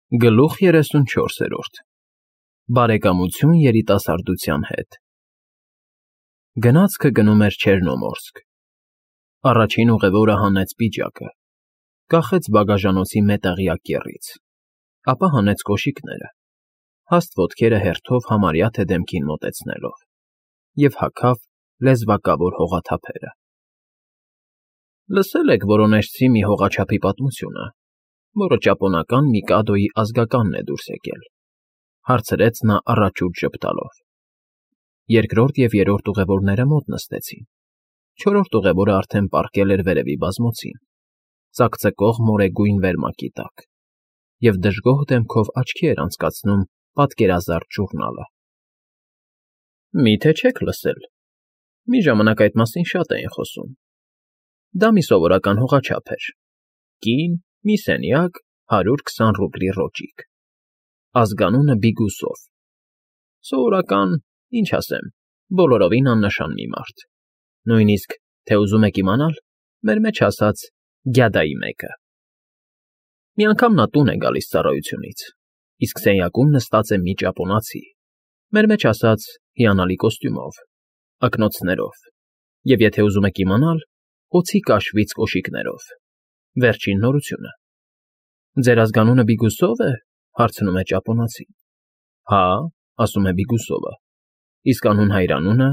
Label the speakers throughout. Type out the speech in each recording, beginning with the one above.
Speaker 1: Գլուխ 34 Բարեկամություն երիտասարդության հետ Գնացքը գնում էր Չեռնոմորսկ։ Առաջին ուղևորը հանեց պիջակը, կախեց բագաժանոցի մետաղյա կեռից, ապա հանեց կոշիկները, հաստ ոտքերը հերթով համարյա թե դեմքին մոտեցնելով, և հագավ լեզվակավոր հողաթափերը։ Լսել եք որոնեժցի մի հողաչափի պատմությունը, որը ճապոնական Միկադոյի ազգականն է դուրս եկել, հարցրեց նա առաջուց ժպտալով։ Երկրորդ և երրորդ ուղևորները մոտ նստեցին, չորրորդ ուղևորը արդեն պառկել էր վերևի բազմոցին, ծակծկող մորեգույն վերմակի տակ, և դժգոհ դեմքով աչքի էր անցկացնում պատկերազարդ ժուռնալը։ Մի՞թե չեք լսել, մի ժամանակ այդ մասին շատ էին խոսում։ Դա մի սովորական հողաչափ էր, կին, մի սենյակ, 120 ռուբլի ռոճիկ, ազգանունը Բիգուսով, սովորական, ինչ ասեմ, բոլորովին աննշան մի մարդ, նույնիսկ, թե ուզում եք իմանալ, մեր մեջ ասած գյադայի մեկը։ Մի անգամ նա տուն է գալիս ծառայությունից, իսկ սենյակում նստած է մի ճապոնացի, մեր մեջ ասած հիանալի կոստյումով, ակնոցներով, և եթե ուզում եք իմանալ, օձի կաշվից կոշիկներով, վերջին նորությունը։ Ձեր ազգանունը Բիգուսով է, հարցնում է ճապոնացին։ Հա, ասում է Բիգուսովը, իսկ անուն-հայրանունը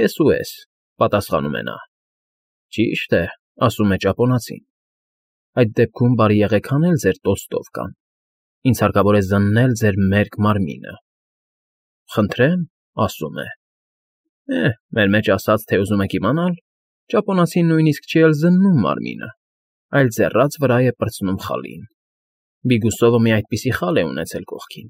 Speaker 1: S.U.S. պատասխանում է նա։ Ճիշտ է, ասում է ճապոնացին։ Այդ դեպքում բարի եղեք հանել ձեր տոստովկան, ինձ հարկավոր է զննել ձեր մերկ մարմինը։ Խնդրեմ, ասում է։ Մեր մեջ ասած, թե ուզում եք իմանալ, ճապոնացին նույնիսկ չի էլ զննում մարմինը, այլ ձեռաց վրա է պրծնում խալին։ Բիգուսովը մի այդպիսի խալ է ունեցել կողքին։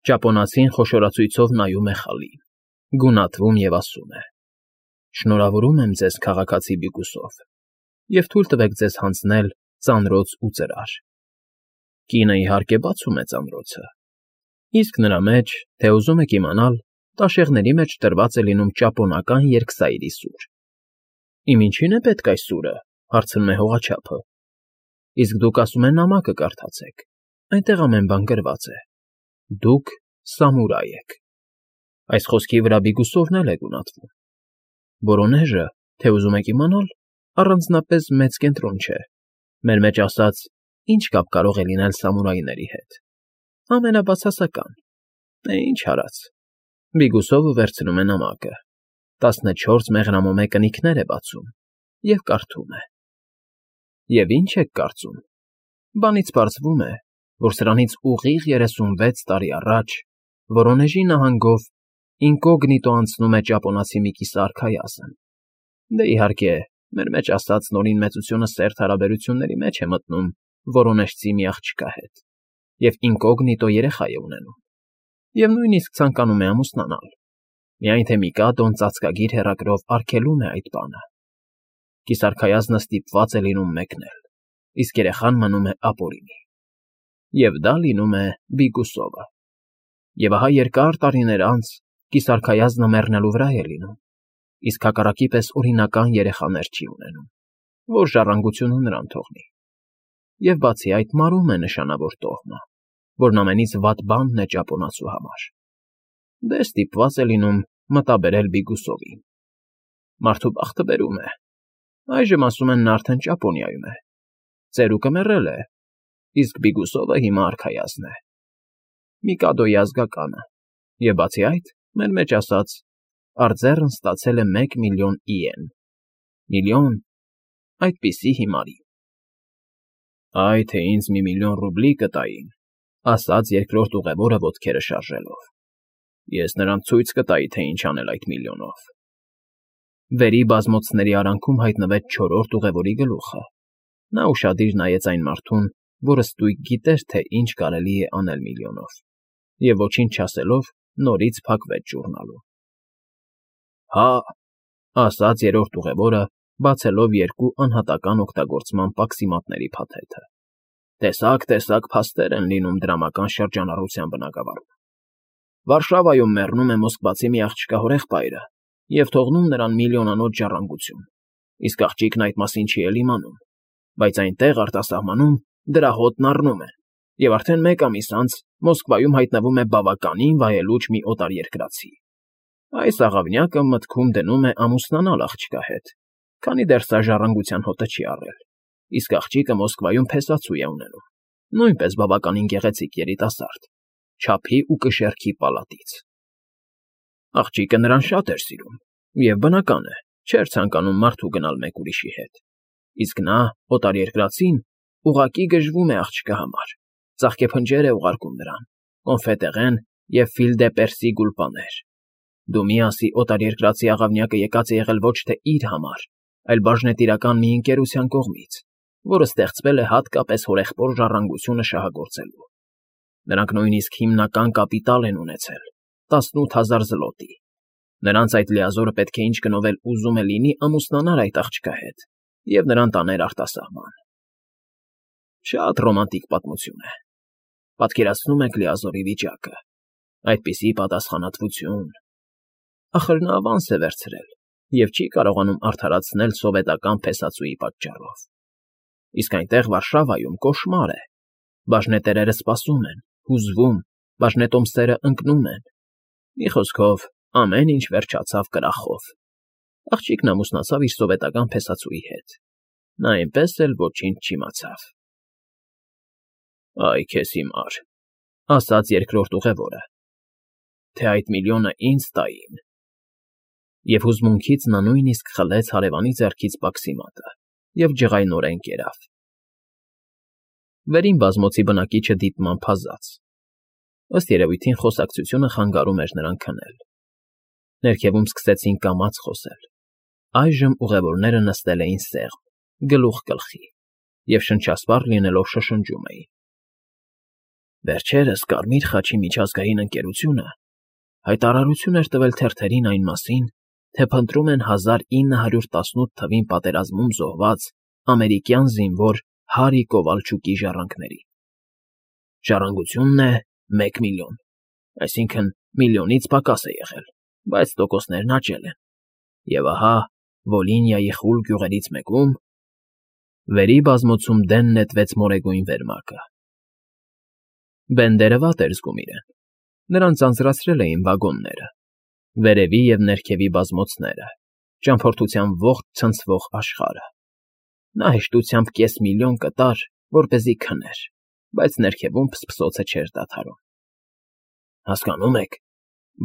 Speaker 1: Ճապոնացին խոշորացույցով նայում է խալին, գունատվում և ասում է. Շնորհավորում եմ ձեզ, քաղաքացի Բիգուսով, և թույլ տվեք ձեզ հանձնել ծանրոց ու ծրար։ Կինը, իհարկե, բացում է ծանրոցը, իսկ նրա մեջ, թե ուզում եք իմանալ, տաշեղների մեջ տրված է լինում ճապոնական երկսայրի սուր։ Իմ ինչի՞ն է պետք այս սուրը, հարցնում է հողաչափը։ Իսկ դուք ասում են նամակը կարդացեք, այնտեղ ամեն բան գրված է։ Դուք սամուրայ եք։ Այս խոսքի վրա Բիգուսովն էլ է գունատվում։ Որոնեժը, թե ուզում եք իմանալ, առանձնապես մեծ կենտրոն չէ, մեր մեջ ասած, ինչ կապ կարող է լինել սամուրայների հետ։ Ամենաբացասական։ Ինչ արած։ Բիգուսովը վերցնում է նամակը, 14 մեղրամոմե կնիքներ է բացում և կարդում է։ Եվ ինչ եք կարծում։ Բանից պարզվում է, որ սրանից ուղիղ 36 տարի առաջ Որոնեժի նահանգով ինկոգնիտո անցնում է ճապոնացի մի կիսարքայազն։ Դե իհարկե, մեր մեջ ասած նորին մեծությունը սերտ հարաբերությունների մեջ է մտնում որոնեժցի մի աղջկա հետ, և ինկոգնիտո երեխա է ունենում, և նույնիսկ ցանկանում է ամուսնանալ, միայն թե Միկադոն ծածկագիր հեռագրով արգելում է այդ բանը։ Կիսարքայազնը ստիպված է լինում մեկնել, իսկ երեխան մնում է ապօրինի։ Եվ դա լինում է Բիգուսովը։ Եվ ահա երկար տարիներ անց կիսարքայազնը մեռնելու վրա է լինում, իսկ հակառակի պես օրինական երեխաներ չի ունենում, որ ժառանգությունը նրան թողնի։ Եվ բացի այդ մարում է նշանավոր տոհմը, որն ամենից վատ բանն է ճապոնացու համար։ Դե ստիպված է լինում մտաբերել Բիգուսովին։ Մարդու բախտը բերում է։ Այժմ ասում են նա արդեն Ճապոնիայում է։ Ծերուկը մեռել է, իսկ Բիգուսովը հիմա արքայազն է։ Միկադոյի ազգականը, և բացի այդ, մեր մեջ ասած, արձեռն ստացել է 1 միլիոն իեն։ Միլիոն, այդպիսի հիմարի։ Այ թե ինձ մի միլիոն ռուբլի կտային, ասաց երկրորդ ուղևորը ոտքերը շարժելով։ Ես նրանց ցույց կտայի, թե ինչ անել այդ միլիոնով։ Վերի բազմոցների արանքում հայտնվեց չորրորդ ուղևորի գլուխը։ Նա ուշադիր նայեց այն մարդուն, որը ստույգ գիտեր, թե ինչ կարելի է անել միլիոնով, և ոչինչ չասելով, նորից փակվեց ժուռնալում։ Հա, ասաց երրորդ ուղևորը, բացելով երկու անհատական օգտագործման պաքսիմատների փաթեթը։ Տեսակ փաստեր են լինում դրամական շրջանառության բնագավառում։ Վարշավայում մեռնում է Մոսկվացի մի աղջկա հորեղբայրը և թողնում նրան միլիոնանոց ժառանգություն, իսկ աղջիկն այդ մասին չի էլ իմանում, բայց այնտեղ արտասահմանում դրա հոտն առնում են, Եվ արդեն 1 ամիս անց Մոսկվայում հայտնվում է բավականին վայելուչ մի օտարերկրացի։ Այս աղավնյակը մտքում դնում է ամուսնանալ աղջկա հետ, քանի դեռ սա ժառանգության հոտը չի առել, իսկ աղջիկը Մոսկվայում փեսացու է ունենում, նույնպես բավականին գեղեցիկ երիտասարդ, չափի ու կշեռքի պալատից։ Աղջիկը նրան շատ էր սիրում, և բնական է, չէր ցանկանում մարդու գնալ մեկ ուրիշի հետ, իսկ նա, օտարերկրացին, ուղղակի գժվում է աղջկա համար, ծաղկեփնջեր է ուղարկում նրան, կոնֆետեղեն և ֆիլ դե Պերսի գուլպաներ։ Դու մի ասի օտարերկրացի աղավնյակը եկած է եղել ոչ թե իր համար, այլ բաժնետիրական մի ընկերության կողմից, որը ստեղծվել է հատկապես հորեղբոր ժառանգությունը շահագործելու։ Նրանք նույնիսկ հիմնական կապիտալ են ունեցել՝ 18,000 զլոտի։ Նրանց այդ լիազորը պետք է ինչ գնով էլ ուզում է լինի ամուսնանար այդ աղջկա հետ և նրան տաներ արտասահման։ Շատ ռոմանտիկ պատմություն է։ Պատկերացնում եք լիազորի վիճակը, այդպիսի պատասխանատվություն։ Ախր նա ավանս է վերցրել և չի կարողանում արդարացնել սովետական փեսացուի պատճառով։ Իսկ այնտեղ Վարշավայում կոշմար է։ Բաժնետերերը սպասում են, հուզվում, բաժնետոմսերը ընկնում են։ Մի խոսքով, ամեն ինչ վերջացավ կրախով։ Աղջիկն ամուսնացավ իր սովետական փեսացուի հետ։ Նա այնպես էլ ոչինչ չիմացավ։ Այ քեզ հիմար, ասաց երկրորդ ուղևորը, թե այդ միլիոնը ինձ տային։ Եվ հուզմունքից նա նույնիսկ խլեց հարևանի ձեռքից բաքսիմատը և ջղայնորեն կերավ։ Վերին բազմոցի բնակիչը դիտմամբ հազաց։ Ըստ երևույթին խոսակցությունը խանգարում էր նրան քնել։ Ներքևում սկսեցին կամաց խոսել։ Այժմ ուղևորները նստել էին սեղմ, գլուխ գլխի, և շնչասպառ լինելով շշնջում էին։ Վերջերս Կարմիր խաչի միջազգային ընկերությունը հայտարարություն էր տվել թերթերին այն մասին, թե փնտրում են 1918 թվին պատերազմում զոհված ամերիկյան զինվոր Հարի Կովալչուկի ժառանգներին։ Ժառանգությունն է 1 միլիոն, այսինքն միլիոնից պակաս է եղել, բայց տոկոսներն աճել են։ Եվ ահա Վոլինիայի խուլ գյուղերից մեկում վերի բազմոցում դեն նետվեց մորեգույն վերմակը։ Բենդերը վատ էր զգում իրեն։ Նրան ձանձրացրել էին վագոնները, վերևի և ներքևի բազմոցները, ճամփորդության ողջ ցնցվող աշխարհը։ Նա հեշտությամբ կես միլիոն կտար, որպեսզի քներ, բայց ներքևում փսփսոցը չէր դադարում։ Հասկանում եք,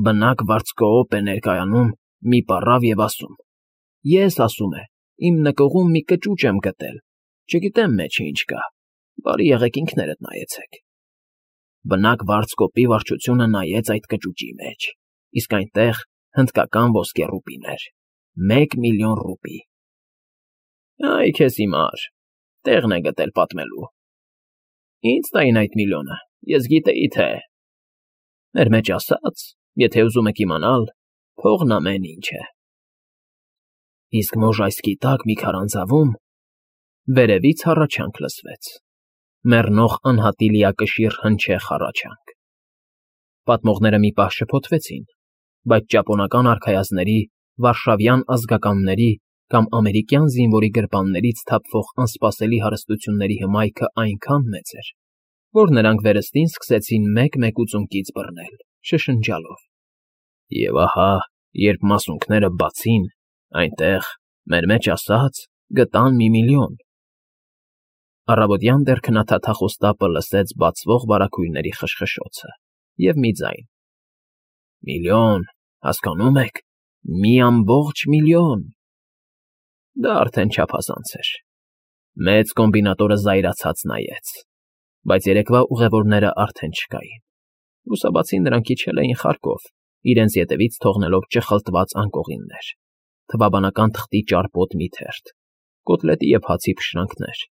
Speaker 1: բնակ վարձկոոպ է ներկայանում մի պառավ և ասում. Ես, ասում է, իմ նկուղում մի կճուճ եմ գտել, չգիտեմ մեջը ինչ կա, բարի եղեք ինքներդ նայեցեք։ Բնակ վարձկոպի վարչությունը նայեց այդ կճուճի մեջ, իսկ այնտեղ հնդկական ոսկե ռուպիներ, 1 միլիոն ռուպի։ Այ քեզ հիմար, տեղն է գտել պատմելու։ Ինձ տային այդ միլիոնը, ես գիտեի թե։ Մեր մեջ ասած, եթե ուզում եք իմանալ, փողն ամեն ինչ է։ Իսկ Մոժայսկի տակ մի քարանձավում վերևից հառաչանք լսվեց։ Մեռնող անհատի լիակշիռ հնչեղ հառաչանք։ Պատմողները մի պահ շփոթվեցին, բայց ճապոնական արքայազնների, վարշավյան ազգականների կամ ամերիկյան զինվորի գրպաններից թափվող անսպասելի հարստությունների հմայքը այնքան մեծ էր, որ նրանք վերստին սկսեցին մեկ-մեկուց բռնել, շշնջալով։ Եվ ահա, երբ մասունքները բացին, այնտեղ, մեր մեջ ասած, գտան 1 միլիոն։ Առավոտյան դեռ քնաթաթախ օստապը լսեց բացվող վարագույրների խշխշոցը և մի ձայն. Միլիոն, հասկանում եք, 1 միլիոն։ Դա արդեն չափազանց էր։ Մեծ կոմբինատորը զայրացած նայեց, բայց երեկվա ուղևորները արդեն չկային։ Լուսաբացին նրանք իջել էին Խարկով, իրենց ետևից թողնելով ճխլտված անկողիններ, թվաբանական թղթի ճարպոտ մի թերթ, կոտլետի և հացի փշրանքներ,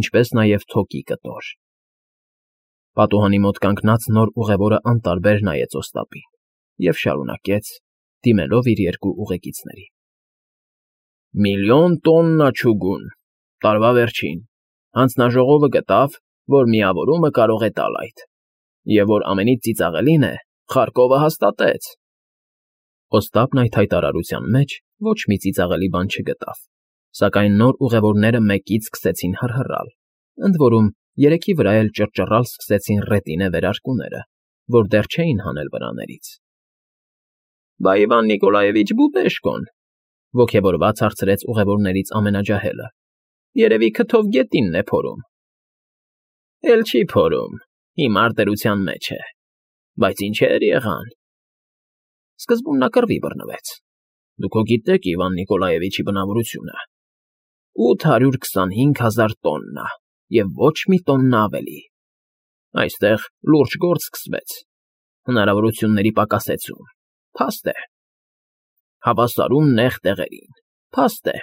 Speaker 1: ինչպես նաև թոկի կտոր։ Պատուհանի մոտ կանգնած նոր ուղևորը անտարբեր նայեց օստապին և շարունակեց, դիմելով իր երկու ուղեկիցներին. 1 միլիոն տոննա չուգուն, տարվա վերջին, հանձնաժողովը գտավ, որ միավորումը կարող է տալ այդ, և որ ամենից ծիծաղելին է, Խարկովը հաստատեց։ Օստապն այդ հայտարարության մեջ ոչ մի ծիծաղելի բան չգտավ, սակայն նոր ուղևորները մեկից սկսեցին հռհռալ, ընդ որում երեքի վրա էլ ճռճռալ սկսեցին ռետինե վերարկուները, որ դեռ չէին հանել վրաներից։ ֊ Բա Իվան Նիկոլաևիչ Բուբեշկոն,֊ ոգևորված հարցրեց ուղևորներից ամենաջահելը,֊ երևի քթով գետինն է փորում։ ֊ Էլ չի փորում, հիմար դրության մեջ է, բայց ինչեր եղան… Սկզբում նա կռվի բռնվեց։ Դուք հո գիտեք Իվան Նիկոլաևիչի բնավորությունը. 825,000 տոննա և ոչ մի տոննա ավելի։ Այստեղ լուրջ գործ սկսվեց, հնարավորությունների պակասեցում, փաստ է։ Հավասարում նեղ տեղերին, փաստ է։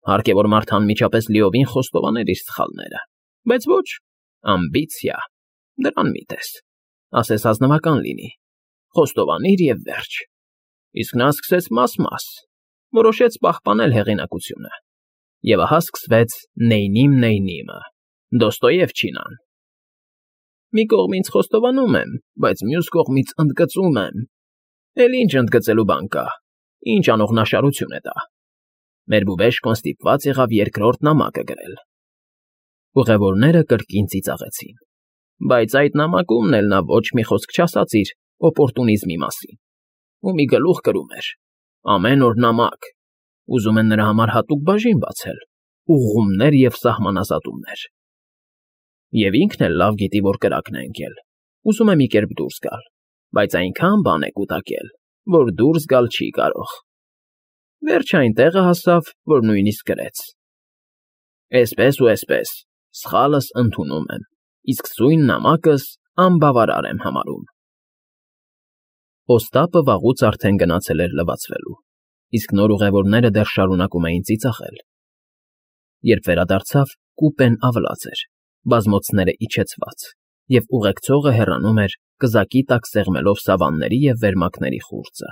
Speaker 1: Հարկ է, որ մարդը անմիջապես լիովին խոստովաներ իր սխալները, բայց ոչ, ամբիցիա, դրան մի տես, ասես ազնվական լինի, խոստովանիր և վերջ։ Իսկ նա սկսեց մաս֊մաս, որոշեց պահպանել հեղինակությունը։ Եվ ահա սկսվեց Նեյնիմ֊Նեյնիմը, Դոստոևչինան։ Մի կողմից խոստովանում եմ, բայց մյուս կողմից ընդգծում եմ։ Էլ ինչ ընդգծելու բան կա, ինչ անողնաշարություն է դա։ Մեր Բուբեշկոն ստիպված եղավ երկրորդ նամակը գրել։ Ուղևորները կրկին ծիծաղեցին։ Բայց այդ նամակումն էլ նա ոչ մի խոսք չասաց իր օպորտունիզմի մասին։ Ու մի գլուխ գրում էր. ամեն օր նամակ, ուզում են նրա համար հատուկ բաժին բացել, ուղղումներ և սահմանազատումներ։ Եվ ինքն էլ լավ գիտի, որ կրակն է ընկել, ուզում է մի կերպ դուրս գալ, բայց այնքան բան է կուտակել, որ դուրս գալ չի կարող։ Վերջը այն տեղը հասավ, որ նույնիսկ գրեց. Էսպես ու էսպես, սխալս ընդունում եմ, իսկ սույն նամակս անբավարար եմ համարում։ Օստապը վաղուց արդեն գնացել էր լվացվելու, իսկ նոր ուղևորները դեռ շարունակում էին ծիծաղել։ Երբ վերադարձավ, կուպեն ավլած էր, բազմոցները իջեցված, և ուղեկցողը հեռանում էր կզակի տակ սեղմելով սավանների և վերմակների խուրձը։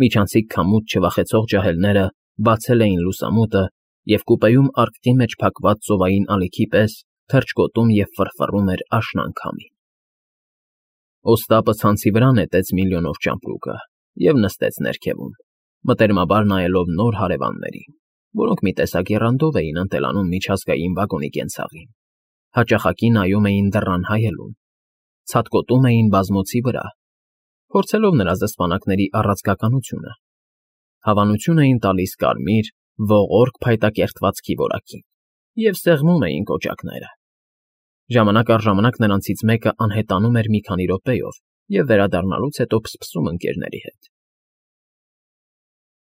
Speaker 1: Միջանցիկ քամուց չվախեցող ջահելները բացել էին լուսամուտը և կուպեում արկղի մեջ փակված ծովային ալիքի պես թռչկոտում և ֆռֆռում էր աշնան քամին։ Օստապը ցանցի վրա նետեց միլիոնով ճամպրուկը և նստեց ներքևում, մտերմաբար նայելով նոր հարևաններին, որոնք մի տեսակ եռանդով էին ընտելանում միջազգային վագոնի կենցաղին, հաճախակի նայում էին դռան հայելուն, ցատկոտում էին բազմոցի վրա, փորձելով նրա զսպանակների առաձգականությունը, հավանություն էին տալիս կարմիր, ողորկ փայտակերտվածքի որակին և սեղմում էին կոճակները։ Ժամանակ առ ժամանակ նրանցից մեկը անհետանում էր մի քանի րոպեով և վերադառնալուց հետո փսփսում ընկերների հետ,